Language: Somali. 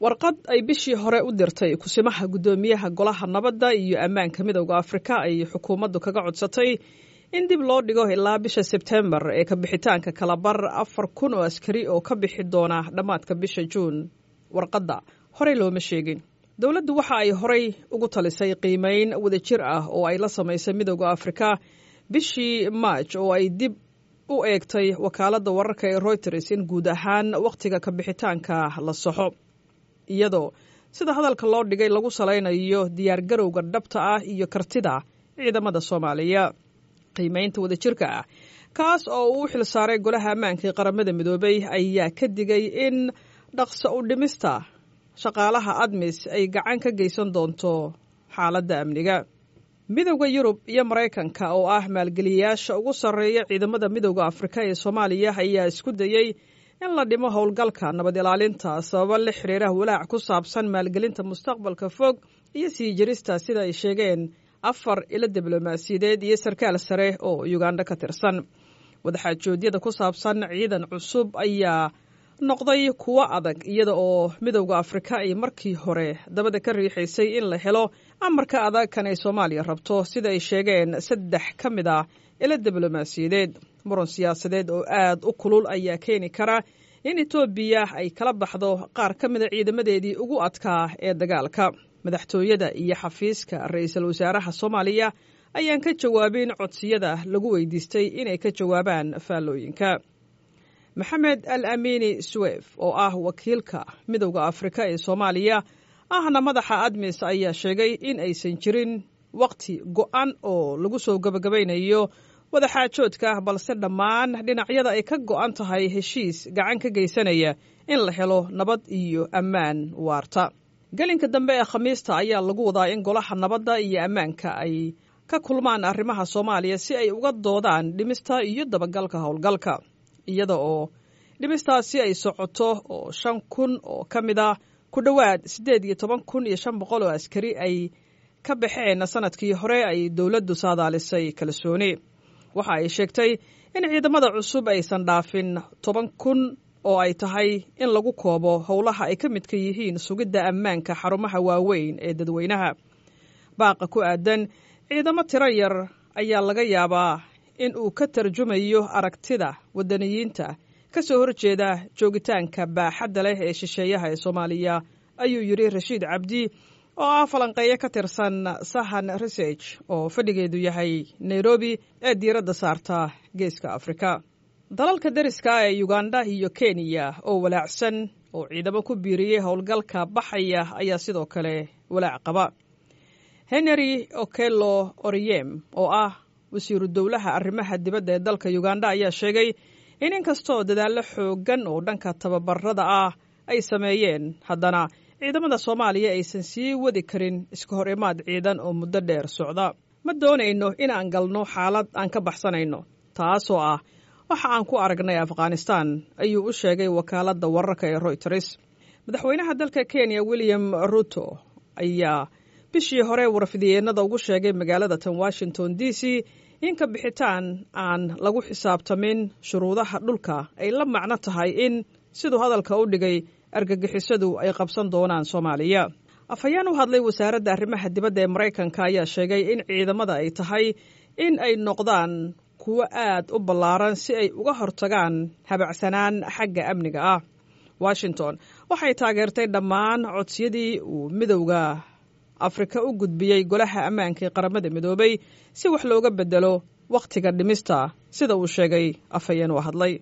Warqad ay bishii hore u dirtay kusimaha guddoomiyaha Golaha Nabadda iyo Ammaanka Midowda Afrika ay xukuumaddu kaga codsatay in dib loo dhigo ilaa bisha Sebtembar ee ka bixitaanka kalabar 4000 oo askari oo ka bixi doona dhammaadka bisha Juun. Warqadda horey looma sheegin. Dowladdu waxa ay horey ugu talisay qiimeyn wadajir ah oo ay la samaysay Midowda Afrika bishii Maaj oo ay dib u eegtay wakaaladda wararka ee Reuters in guud ahaan wakhtiga ka bixitaanka la saxo, iyadoo sida hadalka loo dhigay lagu salaynayo diyaargarowga dhabta ah iyo kartida ciidamada Soomaaliya. Qiimeynta wadajirka ah, kaas oo uu u xil saaray Golaha Ammaanka ee Qaramada Midoobay, ayaa ka digay in dhaqso u dhimista shaqaalaha ADMIS ay gacan ka geysan doonto xaaladda amniga. Midowda Yurub iyo Maraykanka oo ah maalgeliyayaasha ugu sarreeya ciidamada Midowda Afrika ee Soomaaliya ayaa isku dayey in la dhimo howlgalka nabad ilaalinta sababo la xiriira walaac ku saabsan maalgelinta mustaqbalka fog iyo sii jirista, sida ay sheegeen afar ilo diblomaasiyadeed iyo sarkaal sare oo Uganda ka tirsan. Wadaxaajoodyada ku saabsan ciidan cusub ayaa noqday kuwo adag, iyada oo Midowda Afrika ay markii hore dabada ka riixaysay in la helo amarka adag kan ay Soomaaliya rabto, sida ay sheegeen saddex ka mid ah ilo diblomaasiyadeed. Muran siyaasadeed oo aad u kulul ayaa keeni kara in Etoobiya ay kala baxdo qaar ka mida ciidamadeedii ugu adkaa ee dagaalka. Madaxtooyada iyo xafiiska ra-iisul wasaaraha Soomaaliya ayaan ka jawaabin codsiyada lagu weydiistay inay ka jawaabaan faallooyinka. Maxamed Al Amiini Suwef oo ah wakiilka Midowda Afrika ee Soomaaliya ahna madaxa ADMIS ayaa sheegay in aysan jirin wakhti go'an oo lagu soo gabagabaynayo wadaxaajoodka, balse dhammaan dhinacyada ay ka go'an tahay heshiis gacan ka geysanaya in la helo nabad iyo ammaan waarta. Gelinka dambe ee Khamiista ayaa lagu wadaa in Golaha Nabadda iyo Ammaanka ay ka kulmaan arrimaha Soomaaliya si ay uga doodaan dhimista iyo dabagalka howlgalka, iyada oo dhimistaasi ay socoto oo 5000 oo ka mid ah ku dhowaad 18,500 oo askari ay ka baxeen sanadkii hore ay dowladdu saadaalisay kalsooni. Waxa ay sheegtay in ciidamada cusub aysan dhaafin 10,000 oo ay tahay in lagu koobo howlaha ay ka midka yihiin sugidda ammaanka xarumaha waaweyn ee dadweynaha. Baaqa ku aadan ciidamo tiro yar ayaa laga yaabaa in uu ka tarjumayo aragtida waddaniyiinta ka soo horjeeda joogitaanka baaxadda leh ee shisheeyaha ee Soomaaliya, ayuu yidhi Rashiid Cabdi oo ah falanqeeyo ka tirsan Sahan Research oo fadhigeedu yahay Nairobi ee diiradda saarta Geeska Afrika. Dalalka deriska ee Uganda iyo Kenya oo walaacsan oo ciidamo ku biiriyey howlgalka baxaya ayaa sidoo kale walaac qaba. Henry Okello Oryem oo ah wasiiru dowlaha arrimaha dibadda ee dalka Uganda ayaa sheegay in inkastoo dadaallo xooggan oo dhanka tababarada ah ay sameeyeen, haddana ciidamada Soomaaliya aysan sii wadi karin iska hor imaad ciidan oo muddo dheer socda. Ma doonayno in aan galno xaalad aan ka baxsanayno, taasoo ah waxa aan ku aragnay Afghanistan, ayuu u sheegay wakaaladda wararka ee Reuters. Madaxweynaha dalka Kenya William Ruto ayaa bishii hore warfidyeennada ugu sheegay magaalada tan Washington D C in ka bixitaan aan lagu xisaabtamin shuruudaha dhulka ay la macno tahay in, siduu hadalka u dhigay, argagixisadu ay qabsan doonaan Soomaaliya. Afhayeen u hadlay wasaaradda arrimaha dibadda ee Maraykanka ayaa sheegay in ciidamada ay tahay in ay noqdaan kuwo aad u ballaaran si ay uga hortagaan habacsanaan xagga amniga ah. Washington waxay taageertay dhammaan codsiyadii uu Midowda Afrika u gudbiyey Golaha Ammaanka ee Qaramada Midoobay si wax looga bedelo wakhtiga dhimista, sida uu sheegay afhayeen u hadlay.